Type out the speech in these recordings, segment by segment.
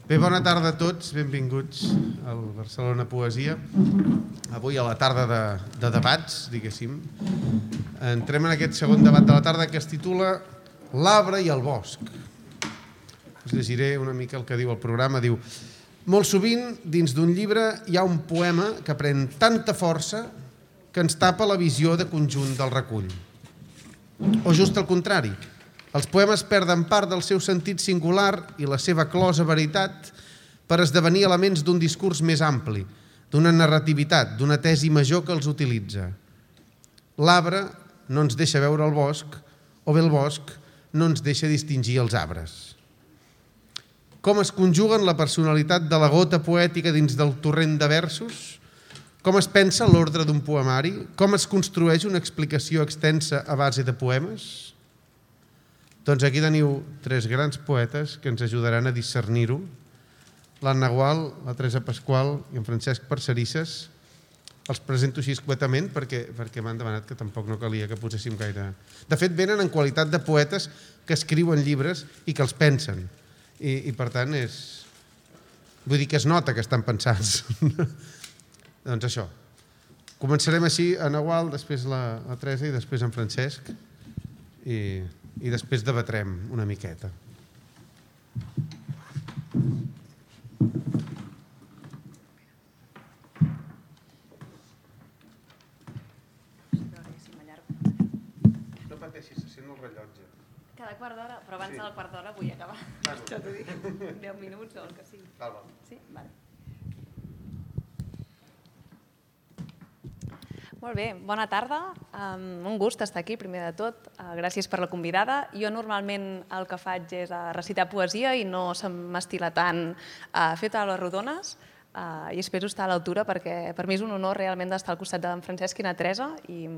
Bé, bona tarda a tots, benvinguts al Barcelona Poesia. Avui a la tarda de debats, diguéssim. Entrem en aquest segon debat de la tarda que es titula L'arbre i el bosc. Us llegiré una mica el que diu el programa. Diu: molt sovint, dins d'un llibre hi ha un poema que pren tanta força que ens tapa la visió de conjunt del recull. O just al contrari, els poemes perden part del seu sentit singular i la seva closa veritat per esdevenir elements d'un discurs més ampli, d'una narrativitat, d'una tesi major que els utilitza. L'arbre no ens deixa veure el bosc, o bé el bosc no ens deixa distingir els arbres. Com es conjuguen la personalitat de la gota poètica dins del torrent de versos? Com es pensa l'ordre d'un poemari? Com es construeix una explicació extensa a base de poemes? Doncs aquí teniu tres grans poetes que ens ajudaran a discernir-ho. L'Anna Gual, la Teresa Pasqual i en Francesc Parcerisses. Els presento així escuetament perquè m'han demanat que tampoc no calia que poséssim gaire... De fet, venen en qualitat de poetes que escriuen llibres i que els pensen. I per tant, vull dir que es nota que estan pensats. Doncs això. Començarem així, Anna Gual, després la Teresa i després en Francesc. I després debatrem una miqueta. No pateixis, se sent el rellotge. Cada quart d'hora, però abans del quart d'hora vull acabar. Ja t'ho dic, 10 minuts o el que sigui. Val. Sí? Vale. Molt bé, bona tarda. Un gust estar aquí, primer de tot. Gràcies per la convidada. Jo normalment el que faig és recitar poesia i no se m'estila tant fer taules rodones i espero estar a l'altura perquè per mi és un honor realment d'estar al costat d'en Francesc i na Teresa i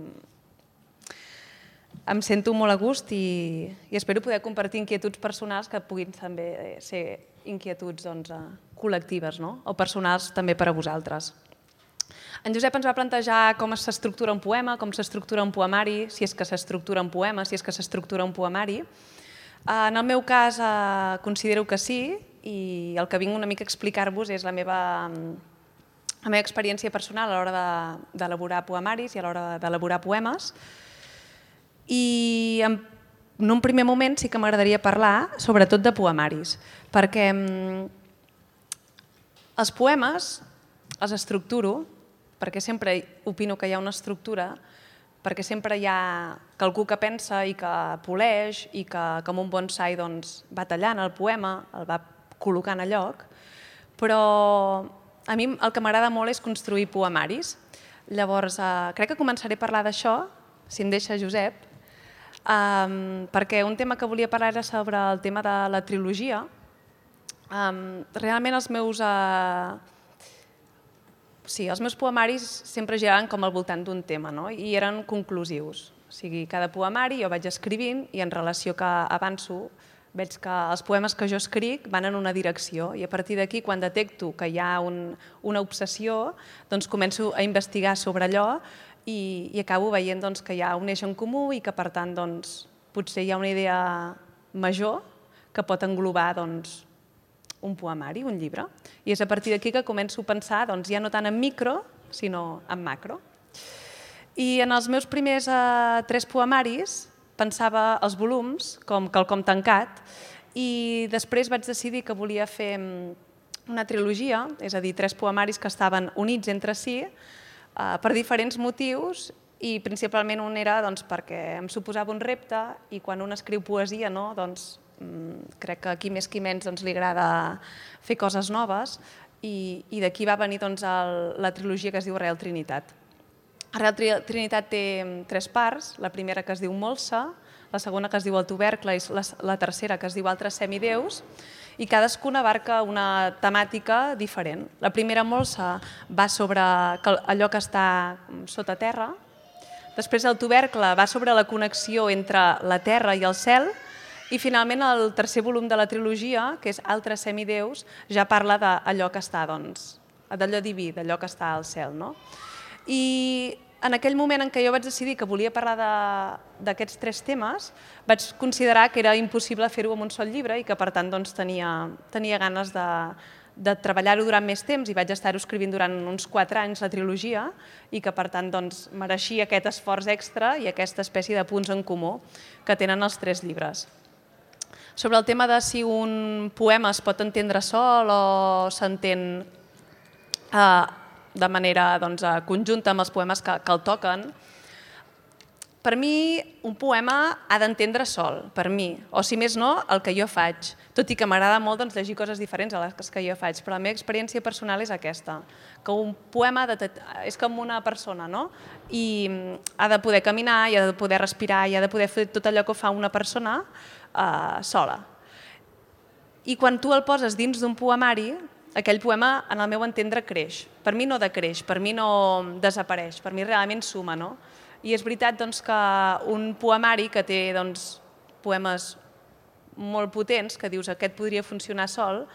em sento molt a gust i espero poder compartir inquietuds personals que puguin també ser inquietuds col·lectives o personals també per a vosaltres. En Josep ens va plantejar com s'estructura un poema, com s'estructura un poemari, si és que s'estructura un poema, si és que s'estructura un poemari. En el meu cas considero que sí i el que vinc una mica a explicar-vos és la meva experiència personal a l'hora d'elaborar poemaris i a l'hora d'elaborar poemes. I en un primer moment sí que m'agradaria parlar sobretot de poemaris, perquè els poemes els estructuro perquè sempre opino que hi ha una estructura, perquè sempre hi ha qualcú que pensa i que poleix i que com un bonsai va tallant el poema, el va col·locant a lloc, però a mi el que m'agrada molt és construir poemaris. Llavors, crec que començaré a parlar d'això, si em deixa Josep, perquè un tema que volia parlar era sobre el tema de la trilogia. Realment els meus poemaris sempre giraven com al voltant d'un tema i eren conclusius. O sigui, cada poemari jo vaig escrivint i en relació que avanço veig que els poemes que jo escric van en una direcció i a partir d'aquí quan detecto que hi ha una obsessió doncs començo a investigar sobre allò i acabo veient que hi ha un eix en comú i que per tant potser hi ha una idea major que pot englobar un poemari, un llibre. I és a partir d'aquí que començo a pensar ja no tant en micro, sinó en macro. I en els meus primers 3 poemaris pensava els volums com quelcom tancat i després vaig decidir que volia fer una trilogia, és a dir, 3 poemaris que estaven units entre si per diferents motius i principalment un era perquè em suposava un repte i quan un escriu poesia crec que aquí més que menys li agrada fer coses noves i d'aquí va venir la trilogia que es diu Arrel Trinitat. Arrel Trinitat té 3 parts, la primera que es diu Molsa, la segona que es diu El tubercle i la tercera que es diu Altres semideus i cadascuna abarca una temàtica diferent. La primera Molsa va sobre allò que està sota terra, després el tubercle va sobre la connexió entre la terra i el cel i finalment el tercer volum de la trilogia, que és Altres semideus, ja parla d'allò que està, d'allò diví, d'allò que està al cel. I en aquell moment en què jo vaig decidir que volia parlar d'aquests 3 temes, vaig considerar que era impossible fer-ho en un sol llibre i que per tant doncs, tenia ganes de treballar-ho durant més temps i vaig estar-ho escrivint durant uns 4 anys la trilogia i que per tant doncs, mereixia aquest esforç extra i aquesta espècie de punts en comú que tenen els 3 llibres. Sobre el tema de si un poema es pot entendre sol o s'entén de manera conjunta amb els poemes que el toquen, per mi un poema ha d'entendre sol, per mi, o si més no, el que jo faig, tot i que m'agrada molt llegir coses diferents a les que jo faig, però la meva experiència personal és aquesta, que un poema és com una persona, no? I ha de poder caminar, i ha de poder respirar, i ha de poder fer tot allò que fa una persona sola. I quan tu el poses dins d'un poemari, aquell poema, en el meu entendre, creix. Per mi no decreix, per mi no desapareix, per mi realment suma, no? I és veritat que un poemari que té poemes molt potents, que dius aquest podria funcionar sol,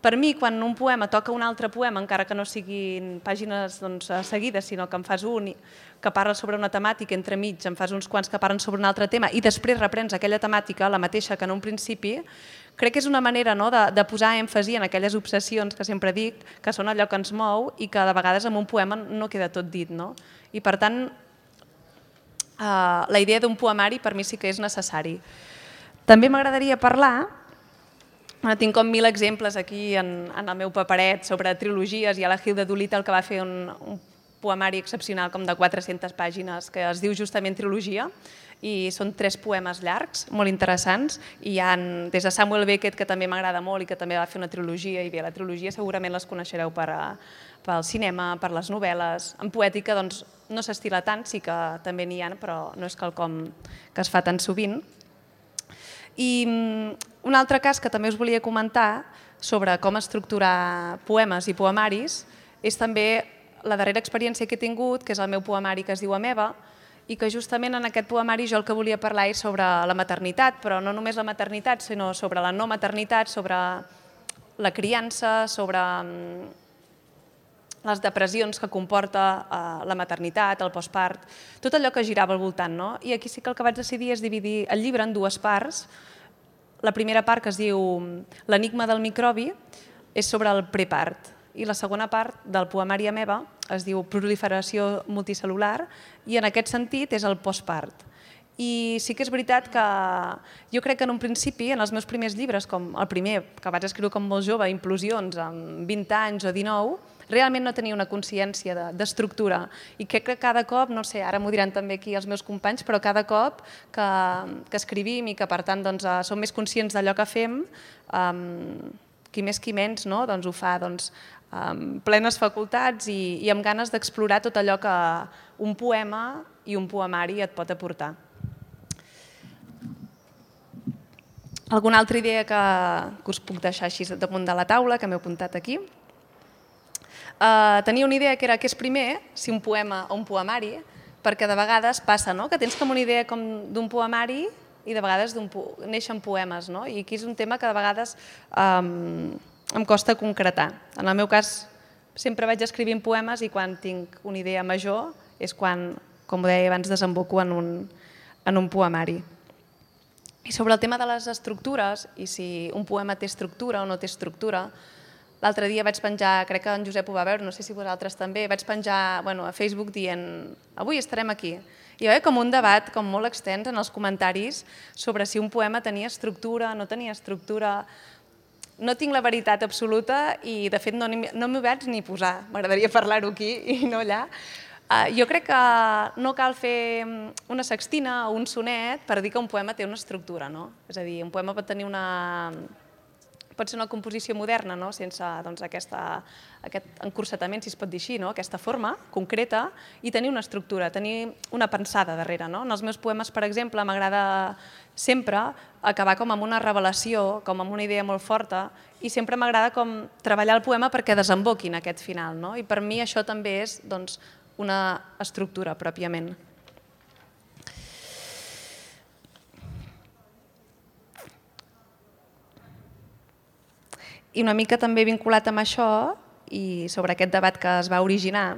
per mi, quan un poema toca un altre poema, encara que no siguin pàgines seguides, sinó que en fas un que parla sobre una temàtica, entremig en fas uns quants que parlen sobre un altre tema i després reprens aquella temàtica, la mateixa que en un principi, crec que és una manera de posar èmfasi en aquelles obsessions que sempre dic, que són allò que ens mou i que de vegades en un poema no queda tot dit. I per tant, la idea d'un poemari per mi sí que és necessari. També m'agradaria parlar, tinc com 1000 exemples aquí en el meu paperet sobre trilogies, i a la Hilda Doolittle que va fer un poemari excepcional com de 400 pàgines que es diu justament Trilogia, i són 3 poemes llargs, molt interessants, i hi ha des de Samuel Beckett, que també m'agrada molt i que també va fer una trilogia, i bé, la trilogia segurament les coneixereu pel cinema, per les novel·les. En poètica no s'estila tant, sí que també n'hi ha, però no és quelcom que es fa tan sovint. I un altre cas que també us volia comentar sobre com estructurar poemes i poemaris és també la darrera experiència que he tingut, que és el meu poemari que es diu Ameba, i que justament en aquest poemari jo el que volia parlar és sobre la maternitat, però no només la maternitat, sinó sobre la no maternitat, sobre la criança, sobre les depressions que comporta la maternitat, el postpart, tot allò que girava al voltant. I aquí sí que el que vaig decidir és dividir el llibre en 2 parts. La primera part, que es diu L'enigma del microbi, és sobre el prepart, i la segona part del poemari Ameba es diu Proliferació multicel·lular, i en aquest sentit és el postpart. I sí que és veritat que jo crec que en un principi, en els meus primers llibres, com el primer, que vaig escriure com molt jove, Implosions, amb 20 anys o 19, realment no tenia una consciència d'estructura. I crec que cada cop, no sé, ara m'ho diran també aquí els meus companys, però cada cop que escrivim i que per tant som més conscients d'allò que fem, qui més qui menys ho fa amb plenes facultats i amb ganes d'explorar tot allò que un poema i un poemari et pot aportar. Alguna altra idea que us puc deixar així damunt de la taula, que m'he apuntat aquí? Tenia una idea que era què és primer, si un poema o un poemari, perquè de vegades passa que tens com una idea d'un poemari i de vegades neixen poemes, i aquí és un tema que de vegades em costa concretar. En el meu cas, sempre vaig escrivint poemes i quan tinc una idea major és quan, com ho deia abans, desemboco en un poemari. I sobre el tema de les estructures, i si un poema té estructura o no té estructura, l'altre dia vaig penjar, crec que en Josep ho va veure, no sé si vosaltres també, vaig penjar a Facebook dient avui estarem aquí. I hi va haver com un debat molt extens en els comentaris sobre si un poema tenia estructura, no tenia estructura. No tinc la veritat absoluta i, de fet, no m'ho vaig ni posar. M'agradaria parlar-ho aquí i no allà. Jo crec que no cal fer una sextina o un sonet per dir que un poema té una estructura. És a dir, un poema pot tenir pot ser una composició moderna, sense aquest encursetament, si es pot dir així, aquesta forma concreta, i tenir una estructura, tenir una pensada darrere. En els meus poemes, per exemple, m'agrada sempre acabar com amb una revelació, com amb una idea molt forta, i sempre m'agrada com treballar el poema perquè desemboqui en aquest final. I per mi això també és una estructura pròpiament. I una mica també vinculat amb això i sobre aquest debat que es va originar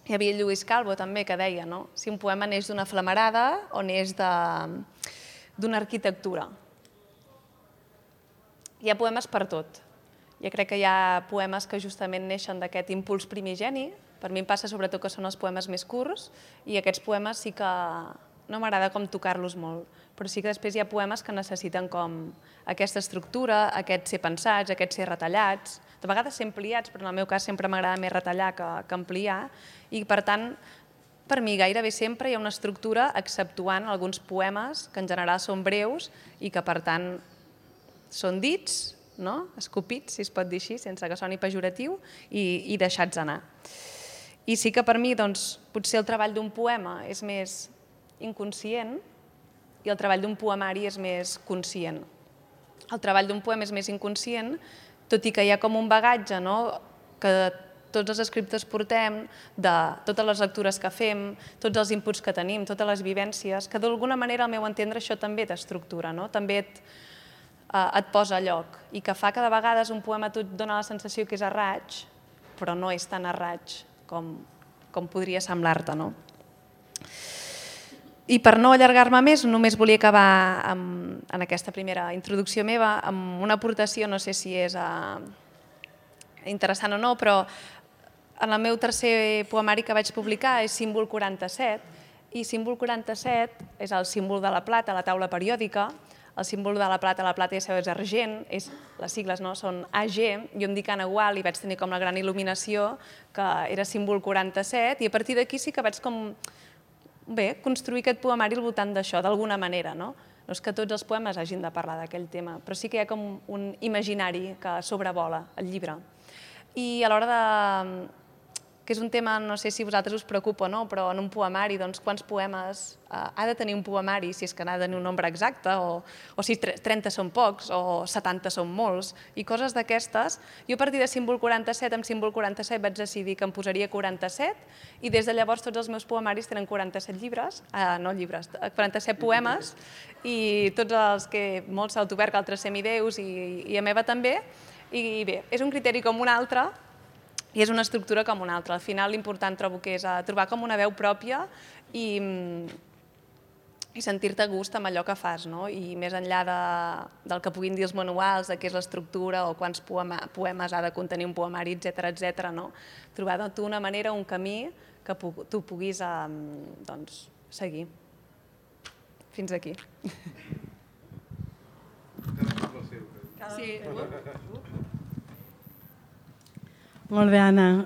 Hi havia Lluís Calvo també que deia si un poema neix d'una flamarada o neix d'una arquitectura. Hi ha poemes per tot. Jo crec que hi ha poemes que justament neixen d'aquest impuls primigeni. Per mi em passa sobretot que són els poemes més curts i aquests poemes sí que no m'agrada com tocar-los molt, però sí que després hi ha poemes que necessiten com aquesta estructura, aquest ser pensats, aquest ser retallats, de vegades ser ampliats, però en el meu cas sempre m'agrada més retallar que ampliar, i per tant, per mi gairebé sempre hi ha una estructura exceptuant alguns poemes que en general són breus i que per tant són dits, escopits, si es pot dir així, sense que soni pejoratiu, i deixats anar. I sí que per mi potser el treball d'un poema és més inconscient i el treball d'un poemari és més conscient. El treball d'un poema és més inconscient, tot i que hi ha com un bagatge que tots els escriptors portem, de totes les lectures que fem, tots els inputs que tenim, totes les vivències, que d'alguna manera, al meu entendre, això també t'estructura, també et posa a lloc, i que fa que de vegades un poema et dona la sensació que és a raig, però no és tan a raig com podria semblar-te. I per no allargar-me més, només volia acabar en aquesta primera introducció meva amb una aportació, no sé si és interessant o no, però en el meu tercer poemari que vaig publicar és Símbol 47, i Símbol 47 és el símbol de la plata, la taula periòdica. El símbol de la plata ja sabeu és argent, les sigles són AG, jo em dic Anna Gual i vaig tenir com la gran il·luminació que era Símbol 47, i a partir d'aquí sí que vaig construir aquest poemari al voltant d'això, d'alguna manera. No és que tots els poemes hagin de parlar d'aquell tema, però sí que hi ha com un imaginari que sobrevola el llibre. I a l'hora de... que és un tema, no sé si a vosaltres us preocupa o no, però en un poemari, quants poemes ha de tenir un poemari, si és que n'ha de tenir un nombre exacte, o si 30 són pocs, o 70 són molts, i coses d'aquestes. Jo a partir de Símbol 47, amb Símbol 47 vaig decidir que em posaria 47, i des de llavors tots els meus poemaris tenen 47 llibres, 47 poemes, i tots els que molts s'autoverc, altres semideus, i a meva també, i bé, és un criteri com un altre, i és una estructura com una altra. Al final l'important trobo que és trobar com una veu pròpia i sentir-te a gust amb allò que fas, i més enllà del que puguin dir els manuals, de què és l'estructura o quants poemes ha de contenir un poemari, etc. Trobar tu una manera, un camí que tu puguis seguir. Fins aquí. Sí. Molt bé, Anna.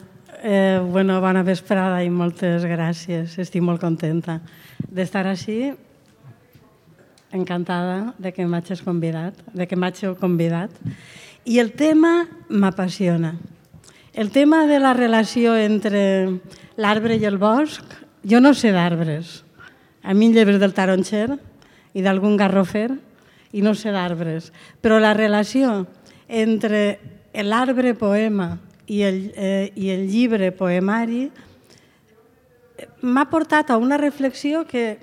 Bona vesprada i moltes gràcies. Estic molt contenta d'estar així, encantada de que m'hagis convidat. I el tema m'apassiona. El tema de la relació entre l'arbre i el bosc, jo no sé d'arbres. A mi em lleves del taronxer i d'algun garrofer i no sé d'arbres. Però la relació entre l'arbre poema i el llibre poemari m'ha portat a una reflexió que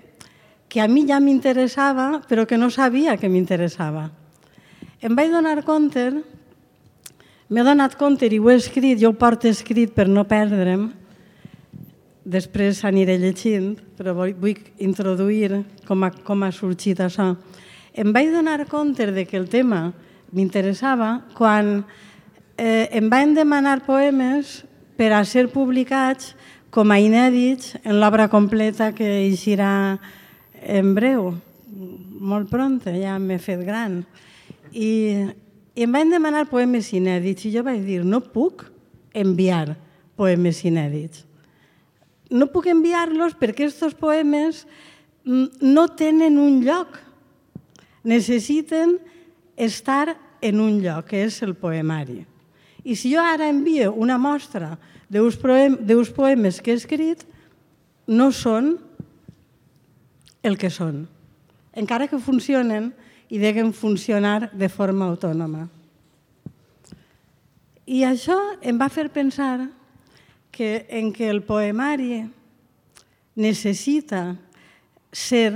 a mi ja m'interessava, però que no sabia que m'interessava. M'he donat compte, i ho he escrit, jo ho porto escrit per no perdre'm, després aniré llegint, però vull introduir com ha sorgit això. Em vaig donar compte que el tema m'interessava quan em van demanar poemes per a ser publicats com a inèdits en l'obra completa que eixirà en breu, molt pronta, ja m'he fet gran. I em van demanar poemes inèdits i jo vaig dir, no puc enviar poemes inèdits. No puc enviar-los perquè aquests poemes no tenen un lloc. Necessiten estar en un lloc, que és el poemari. I si jo ara envio una mostra d'uns poemes que he escrit, no són el que són, encara que funcionen i deguin funcionar de forma autònoma. I això em va fer pensar que el poemari necessita ser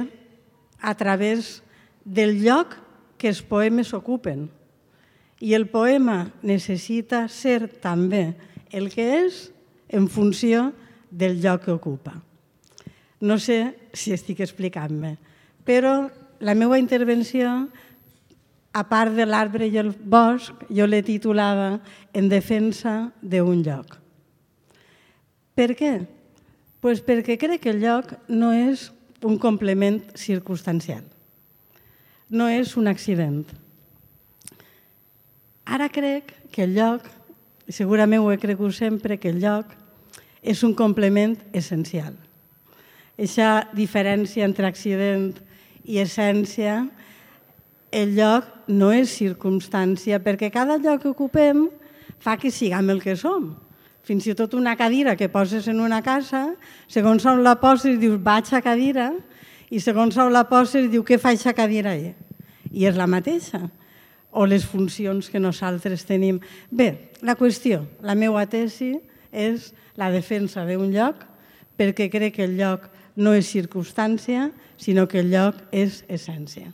a través del lloc que els poemes ocupen. I el poema necessita ser també el que és en funció del lloc que ocupa. No sé si estic explicant-me, però la meva intervenció, a part de l'arbre i el bosc, jo l'he titulada En defensa d'un lloc. Per què? Pues perquè crec que el lloc no és un complement circumstancial, no és un accident. Ara crec que el lloc, i segurament ho he cregut sempre, que el lloc és un complement essencial. Aquesta diferència entre accident i essència, el lloc no és circumstància, perquè cada lloc que ocupem fa que siguem el que som. Fins i tot una cadira que poses en una casa, segons on la poses dius vaig a cadira, i segons on la poses diu què fa aquesta cadira ahí? I és la mateixa. O les funcions que nosaltres tenim. Bé, la qüestió, la meva tesi és la defensa d'un lloc, perquè crec que el lloc no és circumstància, sinó que el lloc és essència.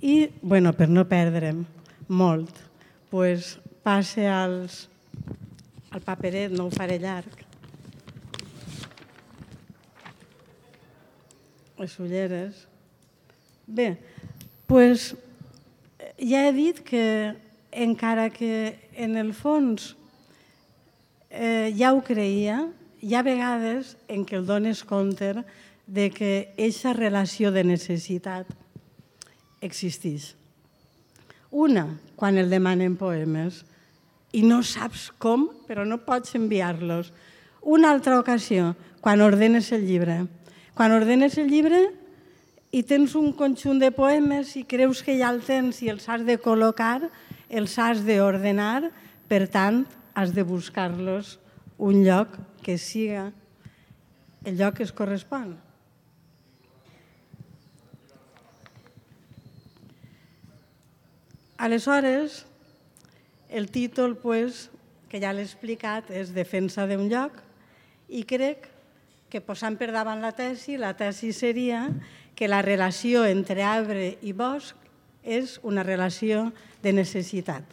I, bueno, per no perdre'm molt, passe al paperet, no ho faré llarg. Les ulleres. Bé, ja he dit que encara que en el fons ja ho creia, hi ha vegades en què el dones compte de que aquesta relació de necessitat existeix. Una, quan el demanen poemes i no saps com, però no pots enviar-los. Una altra ocasió, quan ordenes el llibre. Quan ordenes el llibre i tens un conjunt de poemes i creus que ja el tens i els has de col·locar, els has d'ordenar, per tant, has de buscar-los un lloc que siga el lloc que es correspon. Aleshores, el títol, que ja l'he explicat, és Defensa d'un lloc, i crec que posant per davant la tesi seria que la relació entre arbre i bosc és una relació de necessitat.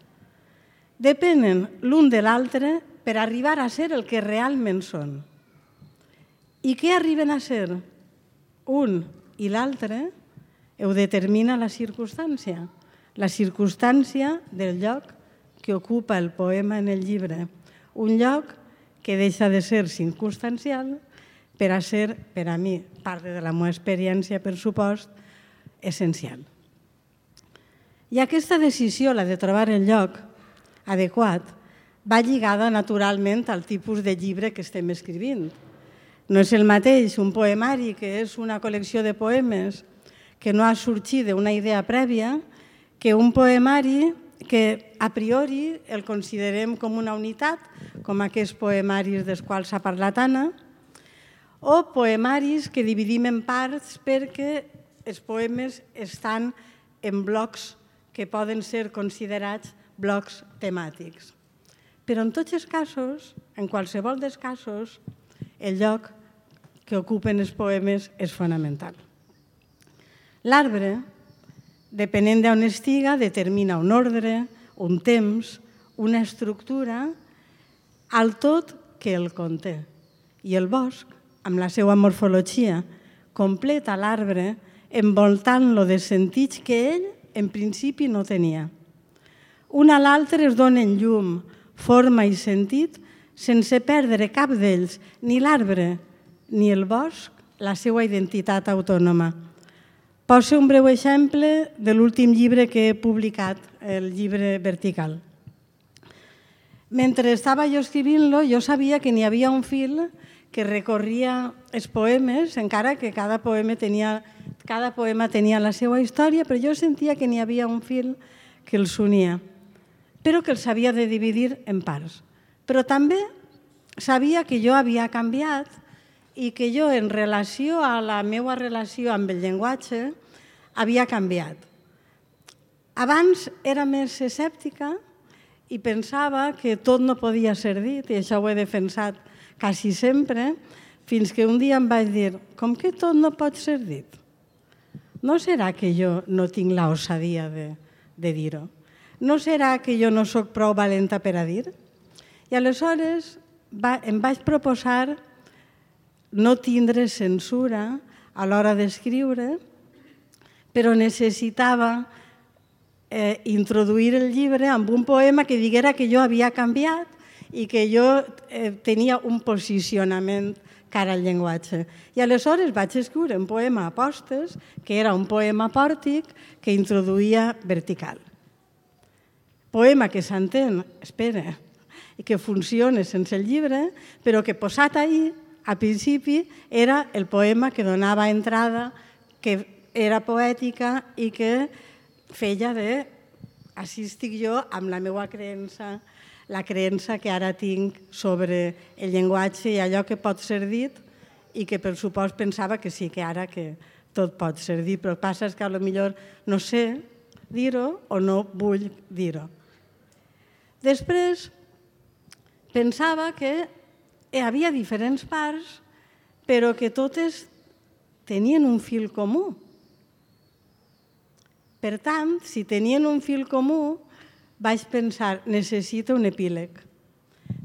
Depenen l'un de l'altre per arribar a ser el que realment són. I què arriben a ser? Un i l'altre ho determina la circumstància del lloc que ocupa el poema en el llibre. Un lloc que deixa de ser circumstancial per a ser, per a mi, part de la meva experiència, per supost, essencial. I aquesta decisió, la de trobar el lloc adequat, va lligada naturalment al tipus de llibre que estem escrivint. No és el mateix un poemari que és una col·lecció de poemes que no ha sorgit d'una idea prèvia que un poemari que a priori el considerem com una unitat, com aquests poemaris dels quals s'ha parlat Anna, o poemaris que dividim en parts perquè els poemes estan en blocs que poden ser considerats blocs temàtics. Però en tots els casos, en qualsevol dels casos, el lloc que ocupen els poemes és fonamental. L'arbre, depenent d'on estiga, determina un ordre, un temps, una estructura, al tot que el conté. I el bosc, amb la seva morfologia, completa l'arbre envoltant-lo de sentits que ell, en principi, no tenia. Un a l'altre es donen llum, forma i sentit sense perdre cap d'ells, ni l'arbre ni el bosc, la seva identitat autònoma. Poso un breu exemple de l'últim llibre que he publicat, el llibre Vertical. Mentre estava jo escrivint-lo, jo sabia que n'hi havia un fil que recorria els poemes, encara que cada poema tenia la seva història, però jo sentia que n'hi havia un fil que els unia, però que els havia de dividir en parts. Però també sabia que jo havia canviat i que jo, en relació a la meva relació amb el llenguatge, havia canviat. Abans era més escèptica i pensava que tot no podia ser dit, i això ho he defensat quasi sempre, fins que un dia em vaig dir, com que tot no pot ser dit? No serà que jo no tinc l'osadia de dir-ho? No serà que jo no soc prou valenta per a dir? I aleshores em vaig proposar no tindre censura a l'hora d'escriure, però necessitava introduir el llibre amb un poema que diguera que jo havia canviat i que jo tenia un posicionament cara al llenguatge. I aleshores vaig escriure un poema a postes, que era un poema pòrtic que introduïa vertical. Poema que s'entén, espera, i que funciona sense el llibre, però que posat ahí, a principi, era el poema que donava entrada, que era poètica i que feia de així estic jo amb la meva creença, la creença que ara tinc sobre el llenguatge i allò que pot ser dit i que per supost pensava que sí, que ara que tot pot ser dit, però el que passa és que potser no sé dir-ho o no vull dir-ho. Després pensava que hi havia diferents parts, però que totes tenien un fil comú. Per tant, si tenien un fil comú, vaig pensar, necessita un epíleg.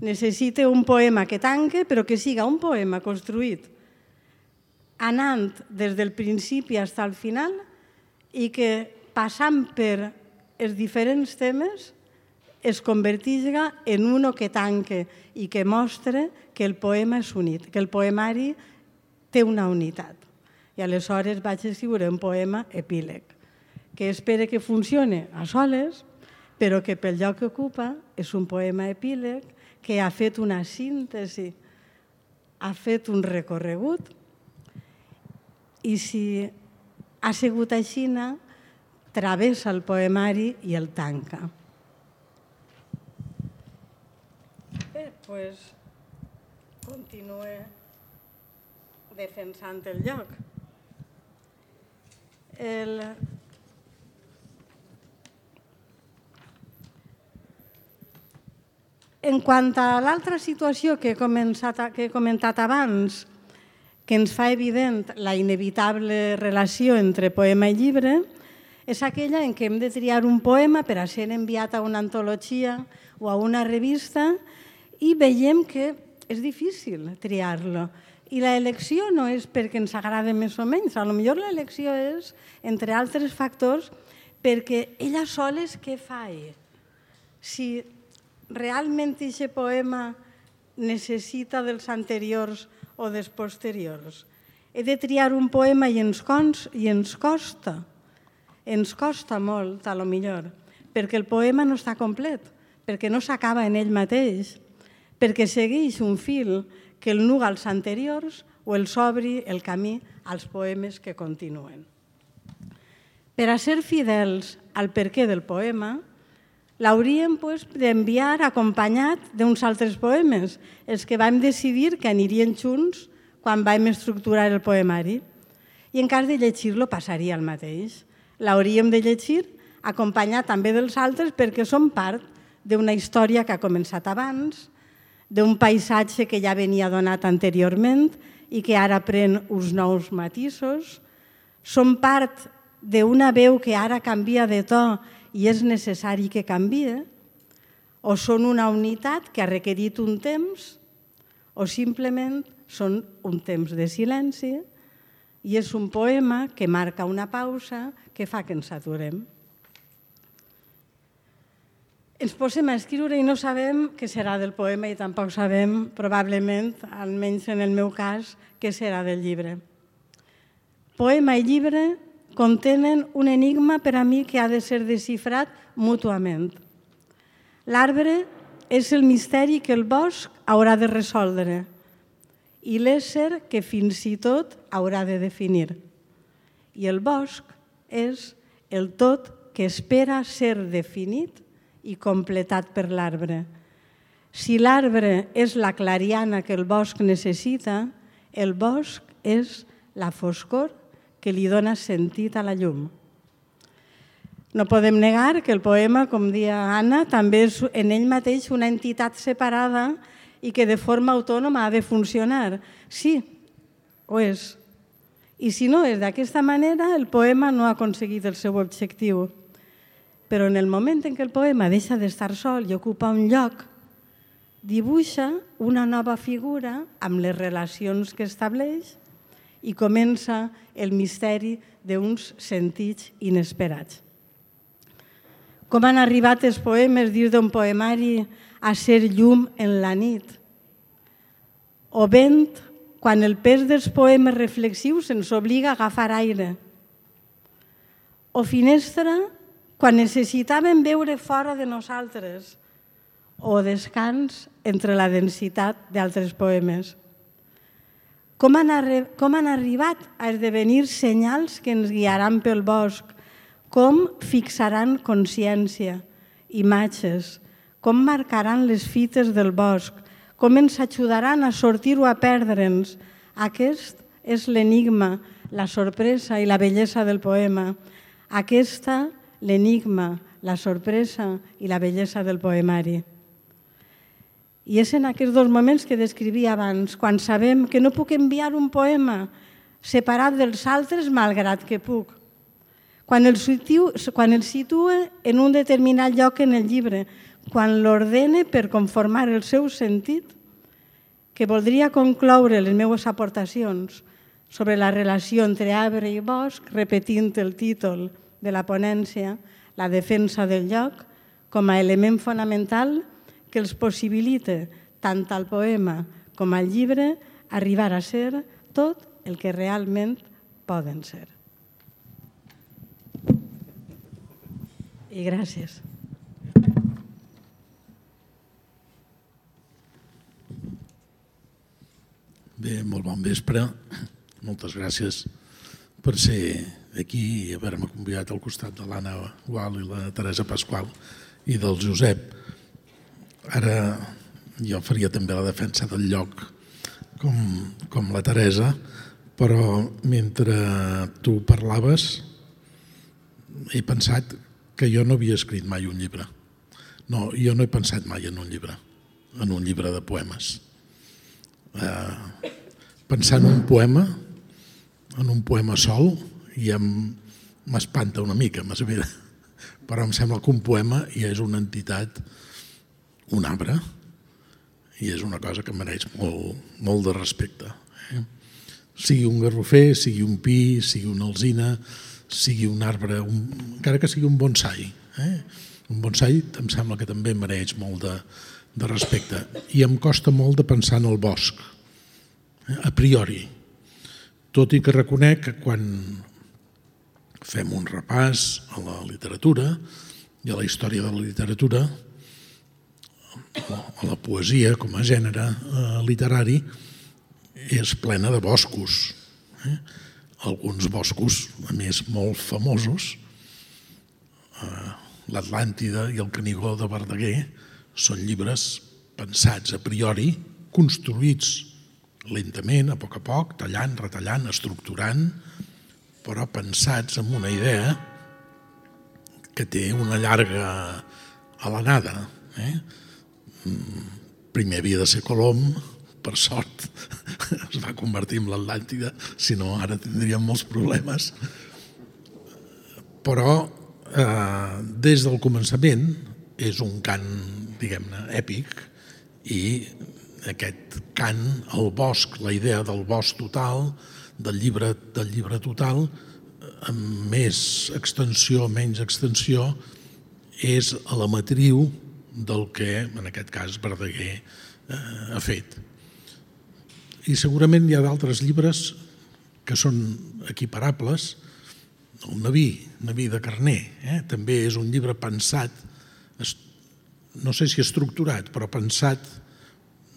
Necessita un poema que tanque, però que siga un poema construït anant des del principi fins al final i que, passant per els diferents temes, es convertisca en uno que tanque i que mostra que el poema és unit, que el poemari té una unitat. I aleshores vaig escriure un poema epíleg, que espero que funcione a soles, però que pel lloc que ocupa és un poema epíleg que ha fet una síntesi, ha fet un recorregut, i si ha sigut així, travessa el poemari i el tanca. Bé, doncs continue defensant el lloc. En quant a l'altra situació que he comentat abans, que ens fa evident la inevitable relació entre poema i llibre, és aquella en què hem de triar un poema per a ser enviat a una antologia o a una revista i veiem que és difícil triar-lo. I l'elecció no és perquè ens agrada més o menys, potser l'elecció és, entre altres factors, perquè ella sola què fa? Si realment aquest poema necessita dels anteriors o dels posteriors. He de triar un poema i ens costa. Ens costa molt, potser, perquè el poema no està complet, perquè no s'acaba en ell mateix, perquè segueix un fil que el nuga als anteriors o els obri el camí als poemes que continuen. Per a ser fidels al perquè del poema, l'hauríem d'enviar acompanyat d'uns altres poemes, els que vam decidir que anirien junts quan vam estructurar el poemari. I en cas de llegir-lo passaria el mateix. L'hauríem de llegir acompanyat també dels altres perquè són part d'una història que ha començat abans, d'un paisatge que ja venia donat anteriorment i que ara pren uns nous matisos, són part d'una veu que ara canvia de to i és necessari que canvie, o són una unitat que ha requerit un temps, o simplement són un temps de silenci i és un poema que marca una pausa que fa que ens aturem. Ens posem a escriure i no sabem què serà del poema i tampoc sabem, probablement, almenys en el meu cas, què serà del llibre. Poema i llibre contenen un enigma per a mi que ha de ser desxifrat mútuament. L'arbre és el misteri que el bosc haurà de resoldre i l'ésser que fins i tot haurà de definir. I el bosc és el tot que espera ser definit i completat per l'arbre. Si l'arbre és la clariana que el bosc necessita, el bosc és la foscor que li dona sentit a la llum. No podem negar que el poema, com deia Anna, també és en ell mateix una entitat separada i que de forma autònoma ha de funcionar. Sí, ho és. I si no és d'aquesta manera, el poema no ha aconseguit el seu objectiu. Però en el moment en què el poema deixa d'estar sol i ocupa un lloc, dibuixa una nova figura amb les relacions que estableix i comença el misteri d'uns sentits inesperats. Com han arribat els poemes dins d'un poemari a ser llum en la nit? O vent, quan el pes dels poemes reflexius ens obliga a agafar aire. O finestra, quan necessitàvem veure fora de nosaltres. O descans entre la densitat d'altres poemes. Com han arribat a esdevenir senyals que ens guiaran pel bosc? Com fixaran consciència, imatges? Com marcaran les fites del bosc? Com ens ajudaran a sortir o a perdre'ns? Aquest és l'enigma, la sorpresa i la bellesa del poema. Aquesta, l'enigma, la sorpresa i la bellesa del poemari. I és en aquests dos moments que descrivia abans, quan sabem que no puc enviar un poema separat dels altres malgrat que puc. Quan el situa en un determinat lloc en el llibre, quan l'ordene per conformar el seu sentit, que voldria concloure les meves aportacions sobre la relació entre arbre i bosc, repetint el títol de la ponència, la defensa del lloc, com a element fonamental que els possibilita, tant al poema com al llibre, arribar a ser tot el que realment poden ser. I gràcies. Bé, molt bon vespre. Moltes gràcies per ser aquí i haver-me convidat al costat de l'Anna Gual i la Teresa Pasqual i del Josep. Ara jo faria també la defensa del lloc com la Teresa, però mentre tu parlaves he pensat que jo no havia escrit mai un llibre. No, jo no he pensat mai en un llibre de poemes. Pensar en un poema sol ja m'espanta una mica, però em sembla que un poema ja és una entitat, un arbre, i és una cosa que mereix molt de respecte. Sigui un garrofer, sigui un pi, sigui una alzina, sigui un arbre, encara que sigui un bonsai. Un bonsai em sembla que també mereix molt de respecte. I em costa molt de pensar en el bosc, a priori. Tot i que reconec que quan fem un repàs a la literatura i a la història de la literatura, a la poesia com a gènere literari, és plena de boscos. Alguns boscos, a més, molt famosos, l'Atlàntida i el Canigó de Verdaguer, són llibres pensats a priori, construïts lentament, a poc, tallant, retallant, estructurant, però pensats amb una idea que té una llarga alenada. Primer havia de ser Colom, per sort es va convertir en l'Atlàntida, si no ara tindríem molts problemes. Però des del començament és un cant, diguem-ne, èpic, i aquest cant, el bosc, la idea del bosc total, del llibre total, amb més extensió, menys extensió, és a la matriu del que, en aquest cas, Verdaguer ha fet. I segurament hi ha d'altres llibres que són equiparables. El Naví de Carner també és un llibre pensat, no sé si estructurat, però pensat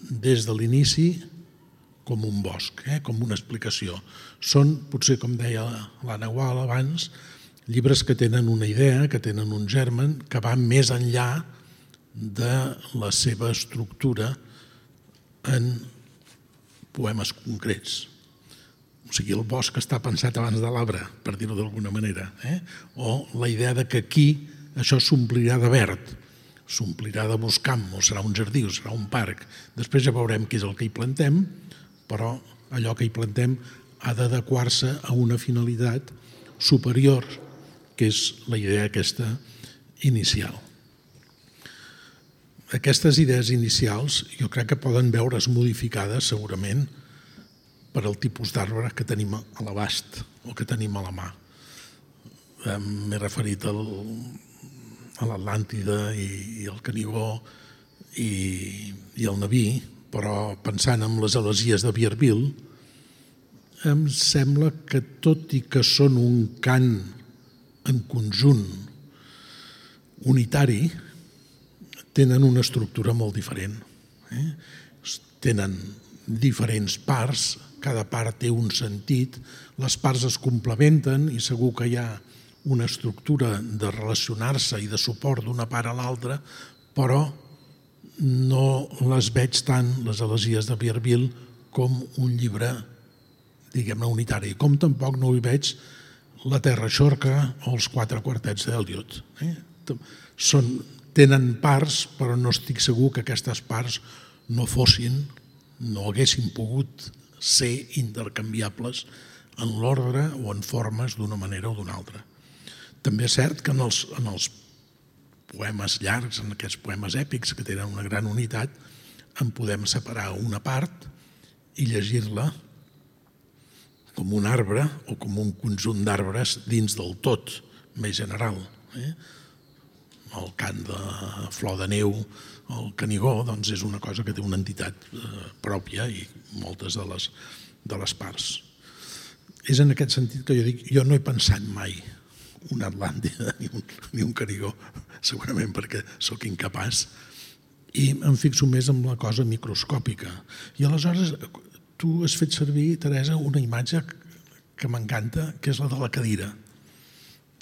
des de l'inici com un bosc, com una explicació. Són, potser com deia l'Anna Gual abans, llibres que tenen una idea, que tenen un germen, que van més enllà de la seva estructura en poemes concrets. O sigui, el bosc està pensat abans de l'arbre, per dir-ho d'alguna manera. O la idea que aquí això s'omplirà de verd, s'omplirà de boscam, o serà un jardí, o serà un parc. Després ja veurem què és el que hi plantem, però allò que hi plantem ha d'adequar-se a una finalitat superior, que és la idea aquesta inicial. aquestes idees inicials jo crec que poden veure's modificades segurament per al tipus d'arbre que tenim a l'abast o que tenim a la mà. M'he referit a l'Atlàntida i al Canigó i al Naví, però pensant en les elesies de Vierville, em sembla que tot i que són un cant en conjunt unitari, tenen una estructura molt diferent. Tenen diferents parts, cada part té un sentit, les parts es complementen i segur que hi ha una estructura de relacionar-se i de suport d'una part a l'altra, però no les veig tant, les elegies de Vierville, com un llibre, diguem-ne, unitari, com tampoc no hi veig La Terra Xorca o els 4 quartets d'Eliot. Tenen parts, però no estic segur que aquestes parts no haguessin pogut ser intercanviables en l'ordre o en formes d'una manera o d'una altra. També és cert que en els poemes llargs, en aquests poemes èpics que tenen una gran unitat, en podem separar una part i llegir-la com un arbre o com un conjunt d'arbres dins del tot més general. El cant de Flor de Neu, el Canigó, doncs és una cosa que té una entitat pròpia i moltes de les parts. És en aquest sentit que jo dic, jo no he pensat mai una Atlàntida ni un Canigó, segurament perquè sóc incapaç, i em fixo més en la cosa microscòpica. I aleshores tu has fet servir, Teresa, una imatge que m'encanta, que és la de la cadira.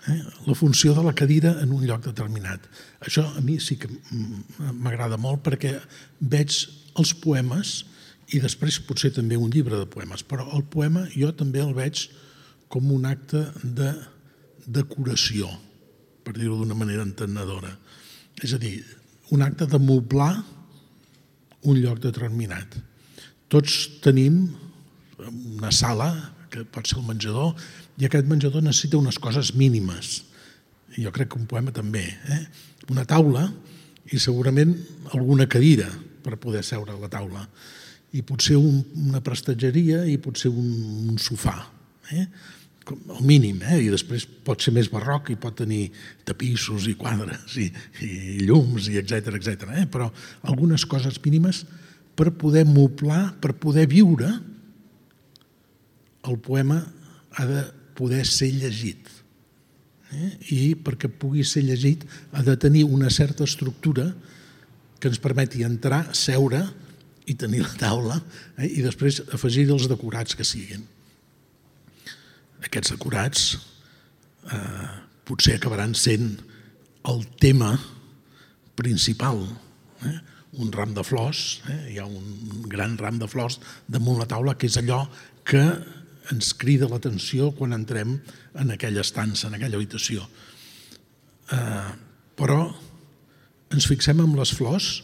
La funció de la cadira en un lloc determinat. Això a mi sí que m'agrada molt perquè veig els poemes i després potser també un llibre de poemes, però el poema jo també el veig com un acte de decoració, per dir-ho d'una manera entenedora. És a dir, un acte de moblar un lloc determinat. Tots tenim una sala, que pot ser el menjador, i aquest menjador necessita unes coses mínimes. Jo crec que un poema també. Una taula i segurament alguna cadira per poder seure a la taula. I potser una prestatgeria i potser un sofà. El mínim, i després pot ser més barroc i pot tenir tapissos i quadres i llums i etcètera, però algunes coses mínimes per poder moblar, per poder viure, el poema ha de poder ser llegit. I perquè pugui ser llegit ha de tenir una certa estructura que ens permeti entrar, seure i tenir la taula i després afegir els decorats que siguin. Aquests decorats potser acabaran sent el tema principal. Un ram de flors, hi ha un gran ram de flors damunt la taula, que és allò que ens crida l'atenció quan entrem en aquella estança, en aquella habitació. Però ens fixem en les flors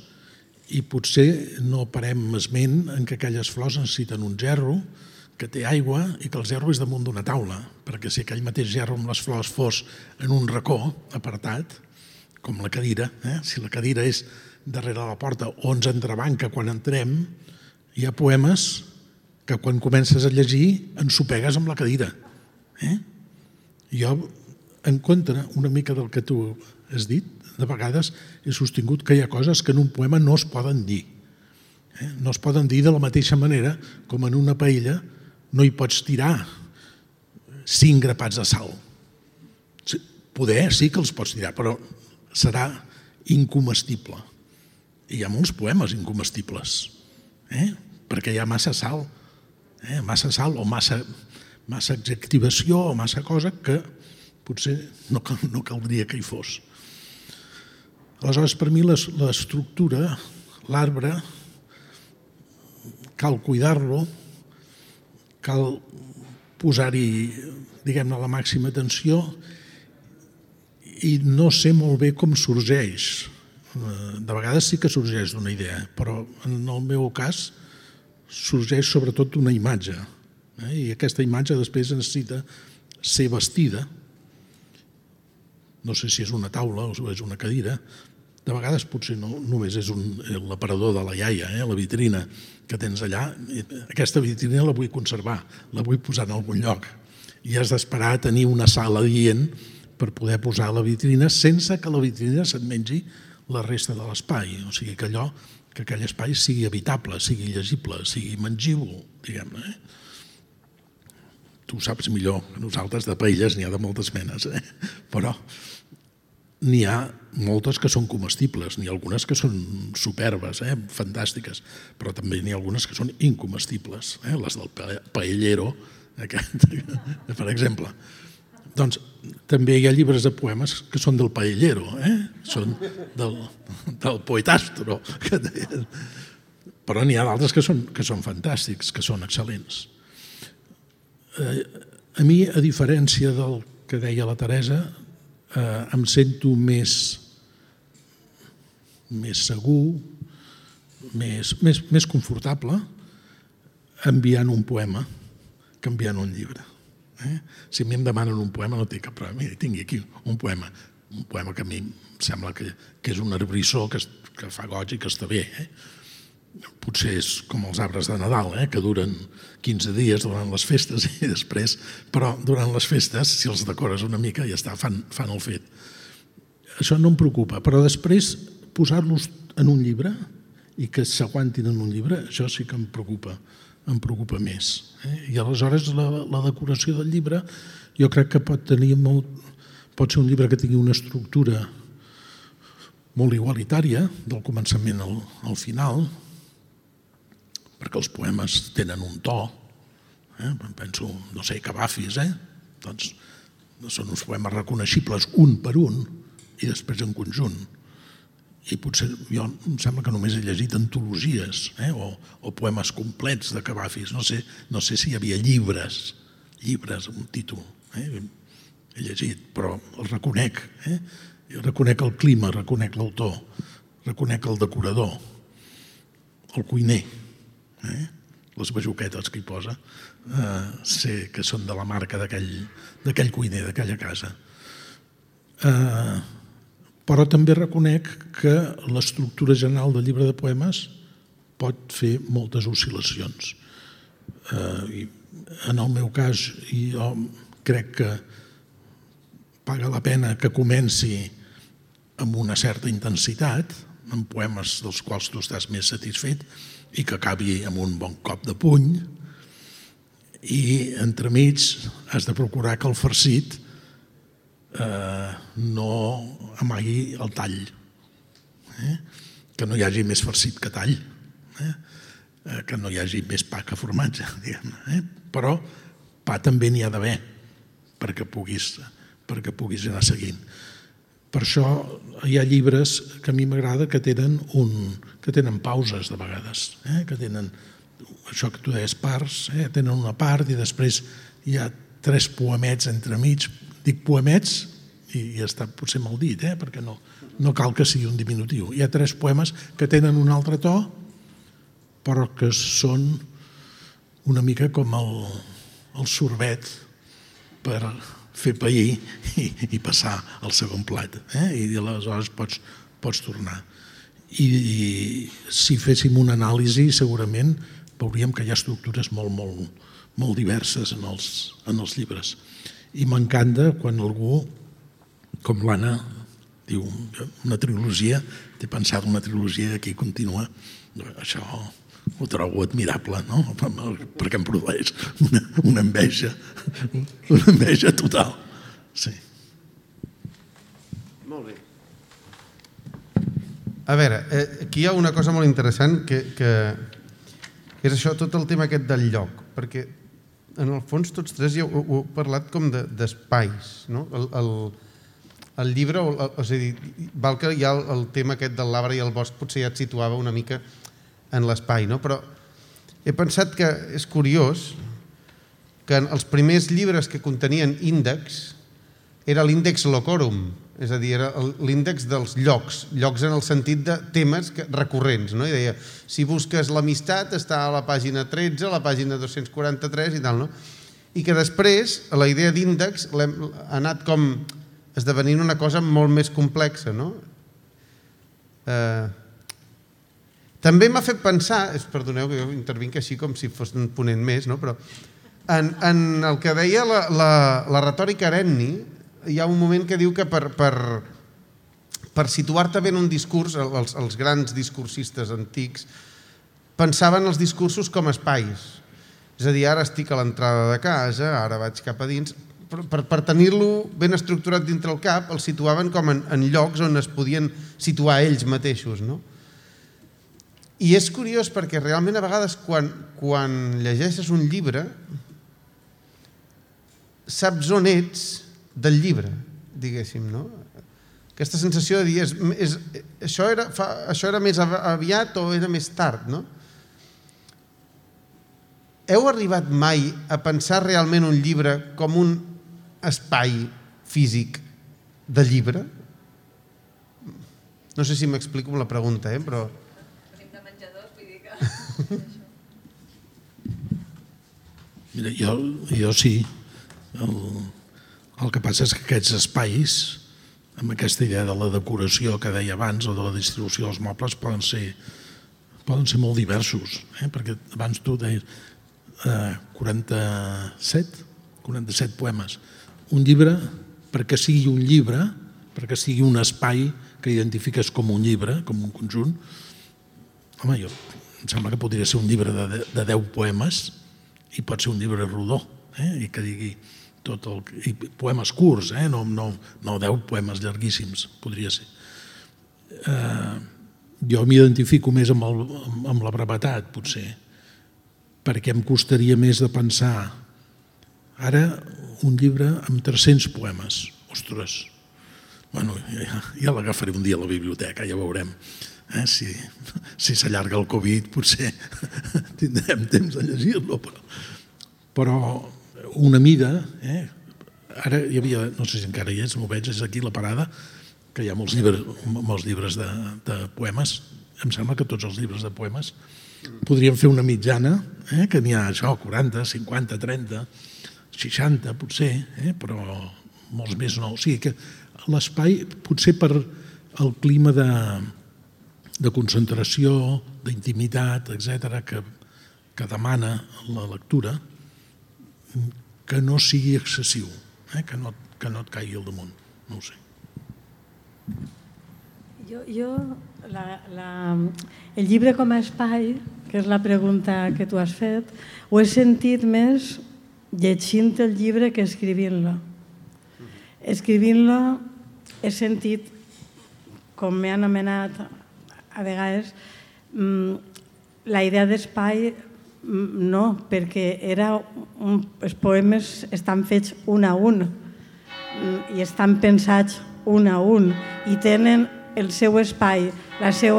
i potser no parem esment en que aquelles flors necessiten un gerro, que té aigua i que el gerro és damunt d'una taula, perquè si aquell mateix gerro amb les flors fos en un racó apartat, com la cadira, si la cadira és darrere la porta o ens entrebanca quan entrem, hi ha poemes que quan comences a llegir ensopegues amb la cadira. Jo, en contra una mica del que tu has dit, de vegades he sostingut que hi ha coses que en un poema no es poden dir. No es poden dir de la mateixa manera com en una paella no hi pots tirar 5 grapats de sal. Poder sí que els pots tirar, però serà incomestible. I hi ha molts poemes incomestibles, perquè hi ha massa sal o massa adjectivació o massa cosa que potser no caldria que hi fos. Aleshores, per mi l'estructura, l'arbre, cal cuidar-lo, cal posar-hi, diguem-ne, la màxima atenció i no sé molt bé com sorgeix. De vegades sí que sorgeix d'una idea, però en el meu cas sorgeix sobretot d'una imatge. I aquesta imatge després necessita ser vestida. No sé si és una taula o és una cadira, de vegades potser no només és l'aparador de la iaia, la vitrina que tens allà. Aquesta vitrina la vull conservar, la vull posar en algun lloc. I has d'esperar a tenir una sala adient per poder posar la vitrina sense que la vitrina se't mengi la resta de l'espai. O sigui, que aquell espai sigui habitable, sigui llegible, sigui mengible, diguem-ne. Tu ho saps millor que nosaltres, de paelles n'hi ha de moltes menes, però n'hi ha moltes que són comestibles, n'hi ha algunes que són superbes, fantàstiques, però també n'hi ha algunes que són incomestibles, les del paellero, per exemple. Doncs també hi ha llibres de poemes que són del paellero, són del poetastro, però n'hi ha d'altres que són fantàstics, que són excel·lents. A mi, a diferència del que deia la Teresa, em sento més segur, més confortable enviant un poema que enviant un llibre. Si a mi em demanen un poema no té cap problema. Mira, tingui aquí un poema que a mi em sembla que és un arbrissó que fa goig i que està bé. Potser és com els arbres de Nadal, que duren 15 dies durant les festes i després, però durant les festes, si els decores una mica, ja està, fan el fet. Això no em preocupa, però després posar-los en un llibre i que s'aguantin en un llibre, això sí que em preocupa més. I aleshores la decoració del llibre jo crec que pot ser un llibre que tingui una estructura molt igualitària, del començament al final, perquè els poemes tenen un to, penso, no sé, Cavafis, doncs són uns poemes reconeixibles un per un i després en conjunt. I potser jo em sembla que només he llegit antologies o poemes complets de Cavafis, no sé si hi havia llibres amb un títol, he llegit, però el reconec, reconec el clima, reconec l'autor, reconec el decorador, el cuiner, les bajoquetes que hi posa, sé que són de la marca d'aquell cuiner, d'aquella casa. Però també reconec que l'estructura general del llibre de poemes pot fer moltes oscil·lacions. En el meu cas, jo crec que paga la pena que comenci amb una certa intensitat, amb poemes dels quals tu estàs més satisfet, i que acabi amb un bon cop de puny, i entremig has de procurar que el farcit no amagui el tall, que no hi hagi més farcit que tall, que no hi hagi més pa que formatge, diguem-ne. Però pa també n'hi ha d'haver perquè puguis anar seguint. Per això hi ha llibres que a mi m'agrada que tenen pauses de vegades, que tenen això que tu deies parts, tenen una part i després hi ha 3 poemets entremig. Dic poemets i està potser mal dit, perquè no cal que sigui un diminutiu. Hi ha 3 poemes que tenen un altre to però que són una mica com el sorbet per fer pair i passar al segon plat, i aleshores pots tornar. I si féssim una anàlisi segurament veuríem que hi ha estructures molt diverses en els llibres. I m'encanta quan algú, com l'Anna, diu una trilogia, té pensat una trilogia i aquí continua. Això ho trobo admirable, no? Perquè em produeix una enveja total. Sí. Molt bé. A veure, aquí hi ha una cosa molt interessant que és això, tot el tema aquest del lloc, perquè en el fons tots 3 ja ho heu parlat com d'espais, no? El llibre, és a dir, val que hi ha el tema aquest del l'arbre i el bosc, potser ja et situava una mica en l'espai, no? Però he pensat que és curiós que els primers llibres que contenien índex era l'índex locorum, és a dir, era l'índex dels llocs en el sentit de temes recurrents, no? I deia, si busques l'amistat està a la pàgina 13, a la pàgina 243 i tal, no? I que després la idea d'índex ha anat com esdevenint una cosa molt més complexa, no? També m'ha fet pensar, perdoneu que jo intervinc així com si fos un ponent més, no? Però en el que deia la retòrica Arenni, hi ha un moment que diu que per situar-te bé en un discurs, els grans discursistes antics pensaven els discursos com espais. És a dir, ara estic a l'entrada de casa, ara vaig cap a dins. Per tenir-lo ben estructurat dintre el cap, el situaven com en llocs on es podien situar ells mateixos, no? I és curiós perquè realment a vegades quan llegeixes un llibre saps on ets del llibre, diguéssim, no? Aquesta sensació de dir això era més aviat o era més tard, no? Heu arribat mai a pensar realment un llibre com un espai físic de llibre? No sé si m'explico amb la pregunta, però... Mira, jo sí. El que passa és que aquests espais, amb aquesta idea de la decoració que deia abans o de la distribució dels mobles, poden ser molt diversos, perquè abans tu deies 47 poemes. Un llibre, perquè sigui un llibre, perquè sigui un espai que identifiques com un llibre, com un conjunt, home, em sembla que podria ser un llibre de 10 poemes i pot ser un llibre rodó, i que digui tot el... I poemes curts, no 10 poemes llarguíssims, podria ser. Jo m'identifico més amb la brevetat, potser, perquè em costaria més de pensar ara un llibre amb 300 poemes. Ostres, bueno, ja l'agafaré un dia a la biblioteca, ja veurem. Si s'allarga el Covid potser tindrem temps de llegir-lo, però una mida, ara hi havia, no sé si encara hi és, m'ho veig, és aquí la parada, que hi ha molts llibres de poemes, em sembla que tots els llibres de poemes podríem fer una mitjana, que n'hi ha això, 40, 50, 30, 60 potser, però molts més no. O sigui que l'espai, potser per el clima de concentració, d'intimitat, etc., que demana la lectura, que no sigui excessiu, que no et caigui al damunt, no ho sé. El llibre com a espai, que és la pregunta que tu has fet, ho he sentit més llegint el llibre que escrivint-lo. Escrivint-lo he sentit, com m'he anomenat a vegades, la idea d'espai no, perquè els poemes estan fets un a un i estan pensats un a un i tenen el seu espai, el seu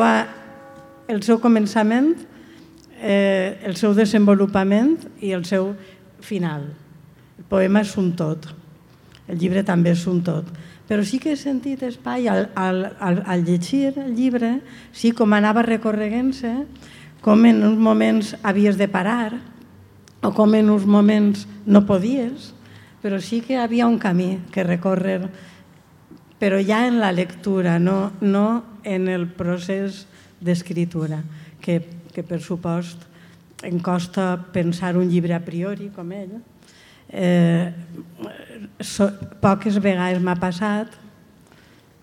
començament, el seu desenvolupament i el seu final. El poema és un tot, el llibre també és un tot. Però sí que he sentit espai al llegir el llibre, sí, com anava recorreguent-se, com en uns moments havies de parar o com en uns moments no podies, però sí que hi havia un camí que recórrer, però ja en la lectura, no en el procés d'escriptura, que per supost em costa pensar un llibre a priori com ell. Poques vegades m'ha passat,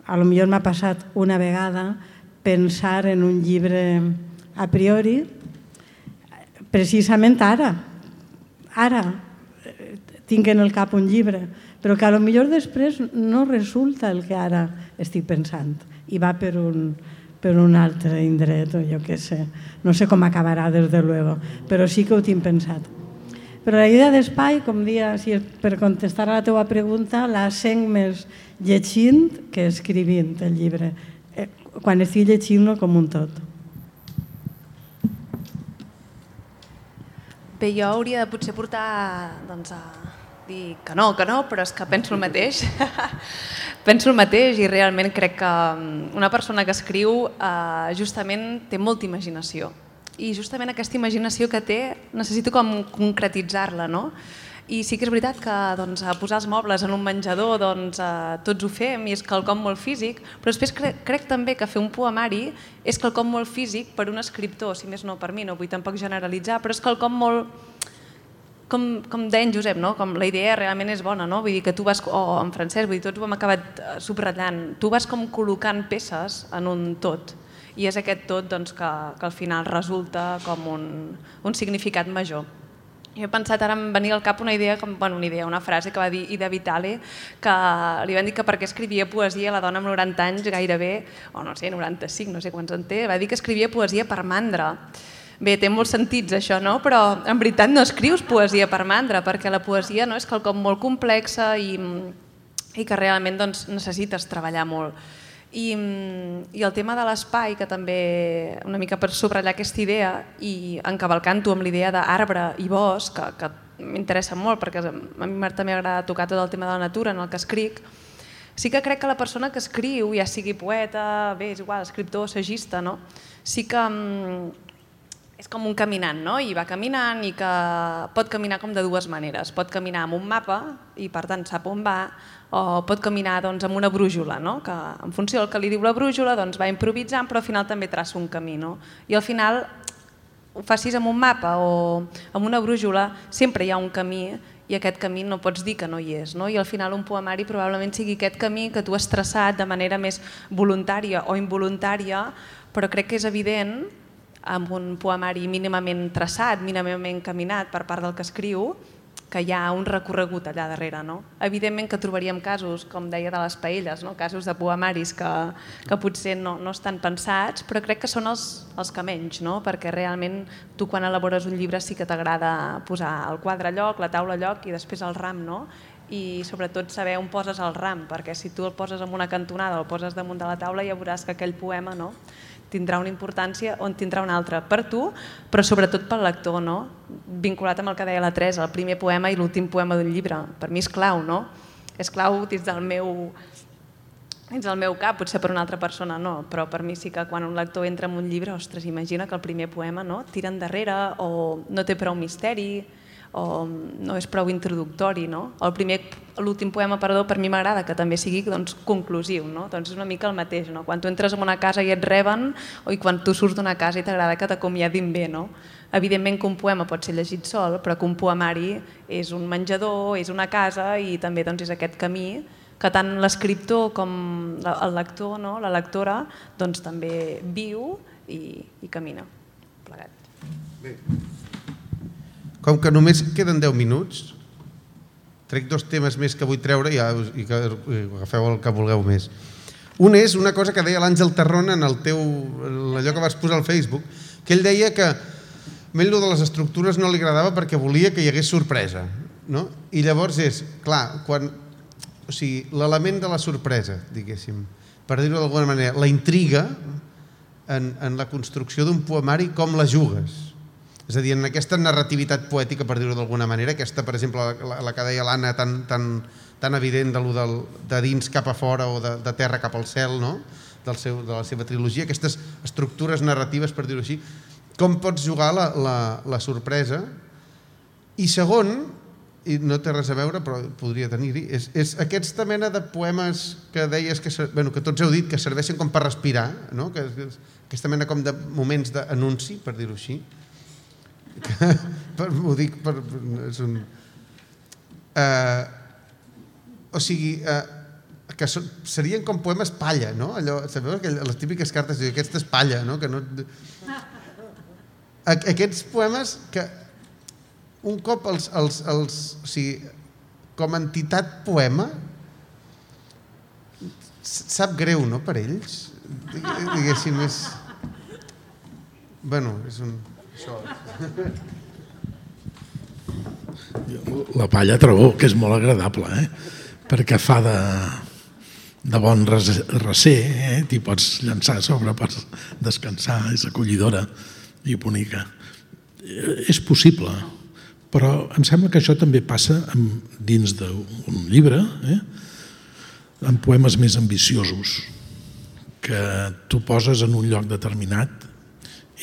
potser m'ha passat una vegada, pensar en un llibre a priori, precisament ara tinc en el cap un llibre, però que potser després no resulta el que ara estic pensant i va per un altre indret o jo què sé, no sé com acabarà des de luego, però sí que ho tinc pensat. Però la idea d'espai, com dia, per contestar a la teva pregunta, la sent més llegint que escrivint el llibre, quan estic llegint-lo com un tot. Bé, jo hauria de potser portar a dir que no, però és que penso el mateix. Penso el mateix i realment crec que una persona que escriu justament té molta imaginació. I justament aquesta imaginació que té necessito com concretitzar-la, no? I sí que és veritat que doncs, posar els mobles en un menjador tots ho fem i és quelcom molt físic, però després crec també que fer un poemari és quelcom molt físic per un escriptor, si més no per mi, no vull tampoc generalitzar, però és quelcom molt... Com deia en Josep, no? Com la idea realment és bona, no? Vull dir que tu vas, o en Francesc, vull dir, tots ho hem acabat subratllant, tu vas com col·locant peces en un tot i és aquest tot doncs, que al final resulta com un significat major. Jo he pensat, ara em venia al cap una idea, una frase que va dir Ida Vitale, que li van dir que perquè escrivia poesia la dona amb 90 anys gairebé, o no sé, 95, no sé quants en té, va dir que escrivia poesia per mandra. Bé, té molts sentits això, no? Però en veritat no escrius poesia per mandra, perquè la poesia no és quelcom molt complexa i que realment doncs, necessites treballar molt. I el tema de l'espai, que també una mica per subratllar aquesta idea i encavalcant-ho amb l'idea d'arbre i bosc, que m'interessa molt perquè a mi també m'agrada tocar tot el tema de la natura en el que escric, sí que crec que la persona que escriu, ja sigui poeta, bé, és igual, escriptor, assagista, no? Sí que és com un caminant, no? I va caminant i que pot caminar com de dues maneres. Pot caminar amb un mapa i per tant sap on va, o pot caminar doncs, amb una brújula, no? Que en funció del que li diu la brújula doncs, va improvisant però al final també traça un camí. No? I al final ho facis amb un mapa o amb una brújula, sempre hi ha un camí i aquest camí no pots dir que no hi és. No? I al final un poemari probablement sigui aquest camí que tu has traçat de manera més voluntària o involuntària, però crec que és evident amb un poemari mínimament traçat, mínimament caminat per part del que escriu, que hi ha un recorregut allà darrere. No? Evidentment que trobaríem casos, com deia, de les paelles, no? Casos de poemaris que potser no estan pensats, però crec que són els que menys, no? Perquè realment tu quan elabores un llibre sí que t'agrada posar el quadre a lloc, la taula a lloc i després el ram, no? I sobretot saber on poses el ram, perquè si tu el poses en una cantonada o el poses damunt de la taula ja veuràs que aquell poema no? Tindrà una importància o en tindrà una altra per tu, però sobretot pel lector, no? Vinculat amb el que deia la Teresa, el primer poema i l'últim poema d'un llibre. Per mi és clau, no? És clau dins del meu cap, potser per una altra persona no, però per mi sí que quan un lector entra en un llibre, ostres, imagina que el primer poema no? Tira endarrere o no té prou misteri o no és prou introductori. No? L'últim poema, per mi m'agrada que també sigui doncs, conclusiu. No? Doncs és una mica el mateix. No? Quan tu entres en una casa i et reben o quan tu surts d'una casa i t'agrada que t'acomiadin bé. No? Evidentment que un poema pot ser llegit sol, però que un poemari és un menjador, és una casa i també doncs, és aquest camí que tant l'escriptor com el lector, no? La lectora, doncs, també viu i camina plegat. Bé. Com que només queden 10 minuts, trec 2 temes més que vull treure i que agafeu el que vulgueu més. Un és una cosa que deia l'Àngel Terrón en allò que vas posar al Facebook, que ell deia que a ell de les estructures no li agradava perquè volia que hi hagués sorpresa. No? I llavors és, clar, l'element de la sorpresa, diguéssim, per dir-ho d'alguna manera, la intriga en la construcció d'un poemari, com la jugues? És a dir, en aquesta narrativitat poètica, per dir-ho d'alguna manera, aquesta, per exemple, la que deia l'Anna, tan evident de dins cap a fora o de terra cap al cel, no? De la seva trilogia, aquestes estructures narratives, per dir-ho així, com pots jugar la sorpresa? I segon, i no té res a veure, però podria tenir-hi, és aquesta mena de poemes que deies, que tots heu dit, que serveixen com per respirar, no? Aquesta mena com de moments d'anunci, per dir-ho així, ho dic o sigui que serien com poemes palla, no? Sabeu les típiques cartes, aquesta és palla, no? Aquests poemes que un cop com a entitat poema sap greu, no? Per ells diguéssim és això. La palla trobo que és molt agradable, perquè fa de bon recer, t'hi pots llançar a sobre per descansar, és acollidora i bonica. És possible, però em sembla que això també passa dins d'un llibre, amb poemes més ambiciosos, que tu poses en un lloc determinat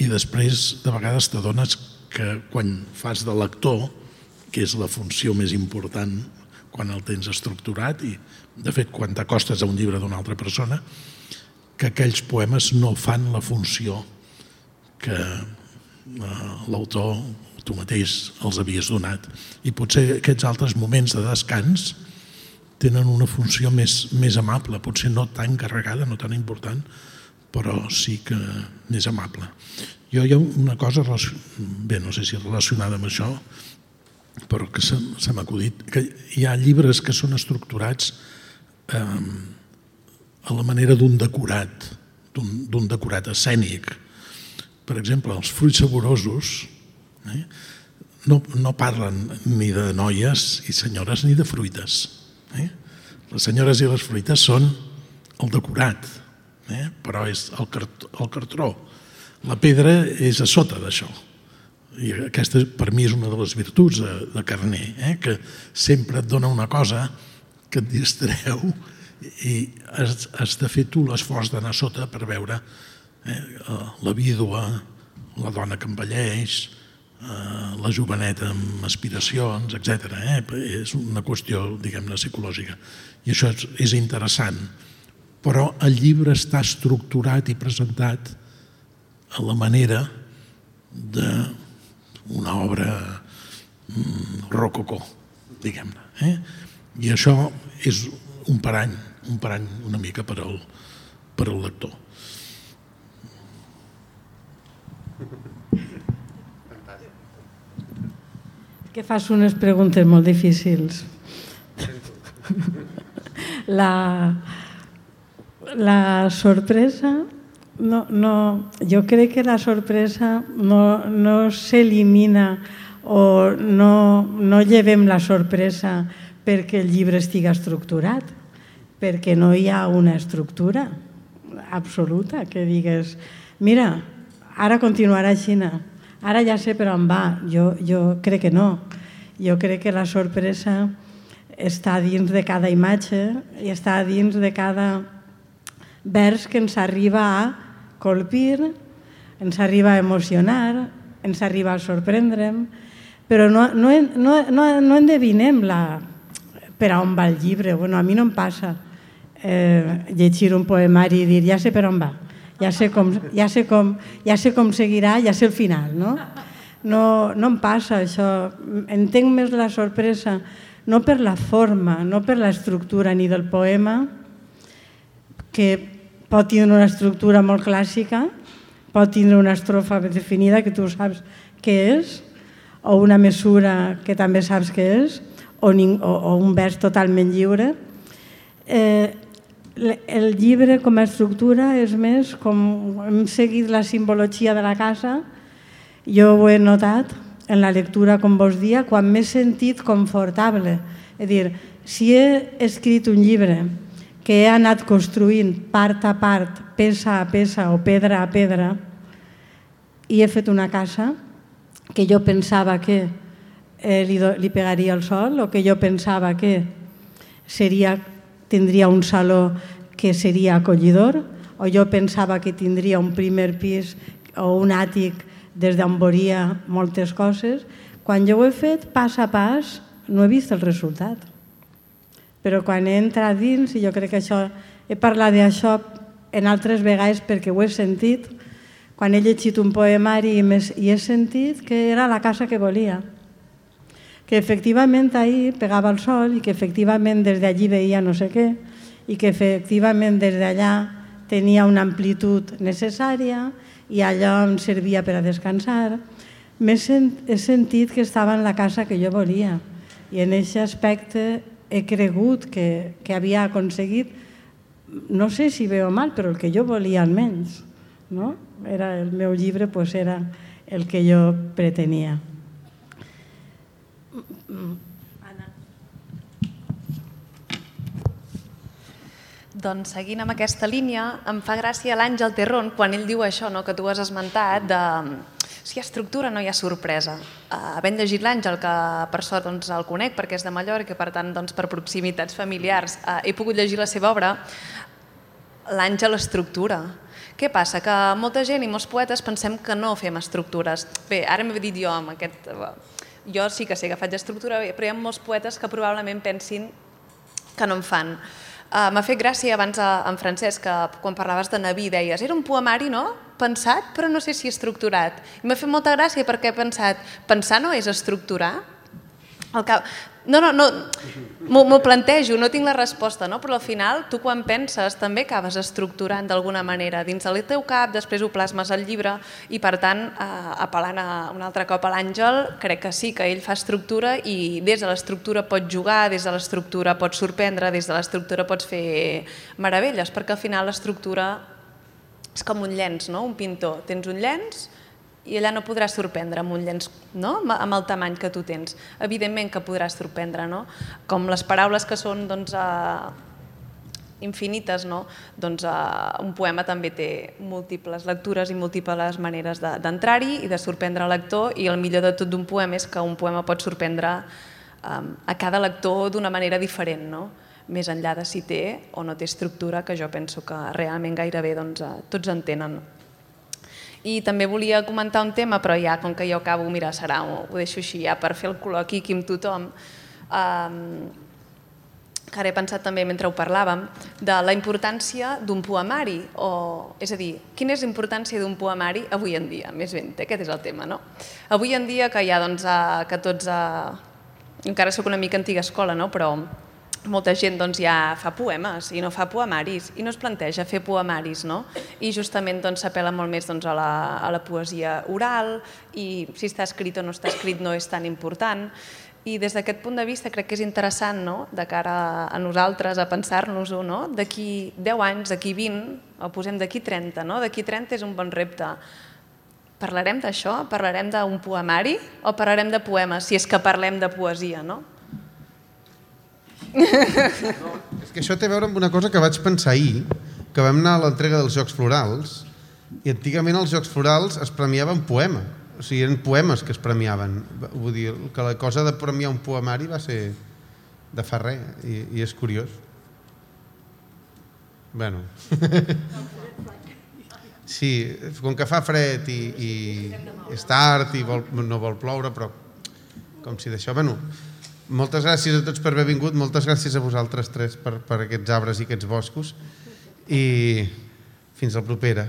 i després de vegades t'adones que quan fas de lector que és la funció més important quan el tens estructurat i, de fet, quan t'acostes a un llibre d'una altra persona, que aquells poemes no fan la funció que l'autor, tu mateix, els havies donat. I potser aquests altres moments de descans tenen una funció més amable, potser no tan carregada, no tan important, però sí que més amable. Jo hi ha una cosa, bé, no sé si relacionada amb això, però que se m'ha acudit, que hi ha llibres que són estructurats a la manera d'un decorat escènic. Per exemple, els fruits saborosos no parlen ni de noies i senyores ni de fruites. Les senyores i les fruites són el decorat, però és el cartró. La pedra és a sota d'això. I aquesta, per mi, és una de les virtuts de Carner, que sempre et dona una cosa que et distreu i has de fer tu l'esforç d'anar a sota per veure la vídua, la dona que envelleix, la joveneta amb aspiracions, etc. És una qüestió, diguem-ne, psicològica. I això és interessant. Però el llibre està estructurat i presentat a la manera d'una obra rococó, diguem-ne. I això és un parany una mica per al lector. Que fas unes preguntes molt difícils. La sorpresa, jo crec que la sorpresa no s'elimina o no llevem la sorpresa perquè el llibre estigui estructurat, perquè no hi ha una estructura absoluta que digues, mira, ara continuarà així, ara ja sé per on va. Jo crec que no. Jo crec que la sorpresa està dins de cada imatge i està dins de cada vers que ens arriba a colpir, ens arriba a emocionar, ens arriba a sorprendre'm, però no endevinem per on va el llibre. Bueno, a mi no em passa llegir un poemari i dir ja sé per on va, ja sé com seguirà, ja sé el final, no? No em passa això. Entenc més la sorpresa no per la forma, no per l'estructura ni del poema, que pot tindre una estructura molt clàssica, pot tindre una estrofa definida que tu saps què és, o una mesura que també saps què és, o un vers totalment lliure. El llibre com a estructura és més com hem seguit la simbologia de la casa. Jo ho he notat en la lectura, com vos dia, quan m'he sentit confortable. És a dir, si he escrit un llibre que he anat construint part a part, peça a peça o pedra a pedra, i he fet una casa que jo pensava que li pegaria el sol o que jo pensava que tindria un saló que seria acollidor, o jo pensava que tindria un primer pis o un àtic des d'on veuria moltes coses. Quan jo ho he fet pas a pas no he vist el resultat. Però quan he entrat dins, i jo crec que he parlat d'això en altres vegades perquè ho he sentit, quan he llegit un poemari i he sentit que era la casa que volia, que efectivament ahir pegava el sol i que efectivament des d'allí veia no sé què i que efectivament des d'allà tenia una amplitud necessària i allò em servia per a descansar. He sentit que estava en la casa que jo volia i en aquest aspecte he cregut que havia aconseguit, no sé si bé o mal, però el que jo volia almenys. El meu llibre era el que jo pretenia. Doncs seguint amb aquesta línia, em fa gràcia l'Àngel Terrón quan ell diu això que tu has esmentat de si hi ha estructura no hi ha sorpresa. Havent llegit l'Àngel, que per sort el conec perquè és de Mallorca i per tant per proximitats familiars he pogut llegir la seva obra, l'Àngel estructura. Què passa? Que molta gent i molts poetes pensem que no fem estructures. Bé, ara m'he dit jo amb aquest Jo sí que sé que faig estructura, però hi ha molts poetes que probablement pensin que no en fan. M'ha fet gràcia abans en Francesc, que quan parlaves de Naví deies era un poemari, no? Pensat, però no sé si estructurat. I m'ha fet molta gràcia perquè he pensat, pensar no és estructurar? No, m'ho plantejo, no tinc la resposta, no? Però al final tu quan penses també acabes estructurant d'alguna manera dins del teu cap, després ho plasmes al llibre i per tant, apel·lant un altre cop a l'Àngel, crec que sí, que ell fa estructura i des de l'estructura pots jugar, des de l'estructura pots sorprendre, des de l'estructura pots fer meravelles, perquè al final l'estructura és com un llenç, no? Un pintor, tens un llenç i allà no podràs sorprendre amb un llenç, no? Amb el tamany que tu tens. Evidentment que podràs sorprendre, no? Com les paraules que són infinites, no? Doncs un poema també té múltiples lectures i múltiples maneres d'entrar-hi i de sorprendre el lector, i el millor de tot d'un poema és que un poema pot sorprendre a cada lector d'una manera diferent, no? Més enllà de si té o no té estructura, que jo penso que realment gairebé tots en tenen. I també volia comentar un tema, però ja, com que jo acabo, mira, ho deixo així ja per fer el col·loqui aquí amb tothom, que ara he pensat també mentre ho parlàvem, de la importància d'un poemari, és a dir, quina és la importància d'un poemari avui en dia, més ben, aquest és el tema, no? Avui en dia que ja, que tots, encara soc una mica antiga escola, no? Però molta gent ja fa poemes i no fa poemaris i no es planteja fer poemaris, no? I justament s'apel·la molt més a la poesia oral i si està escrit o no està escrit no és tan important. I des d'aquest punt de vista crec que és interessant, no?, de cara a nosaltres, a pensar-nos-ho, no? D'aquí 10 anys, d'aquí 20, o posem d'aquí 30, no? D'aquí 30 és un bon repte. Parlarem d'això? Parlarem d'un poemari o parlarem de poemes, si és que parlem de poesia, no? No, és que això té a veure amb una cosa que vaig pensar ahir, que vam anar a l'entrega dels Jocs Florals i antigament als Jocs Florals es premiaven poema, o sigui, eren poemes que es premiaven. Vull dir, que la cosa de premiar un poemari va ser de fa res i és curiós. Bueno. Sí, com que fa fred i és tard i no vol ploure, però com si d'això... Bueno, moltes gràcies a tots per haver vingut, moltes gràcies a vosaltres tres per aquests arbres i aquests boscos i fins la propera.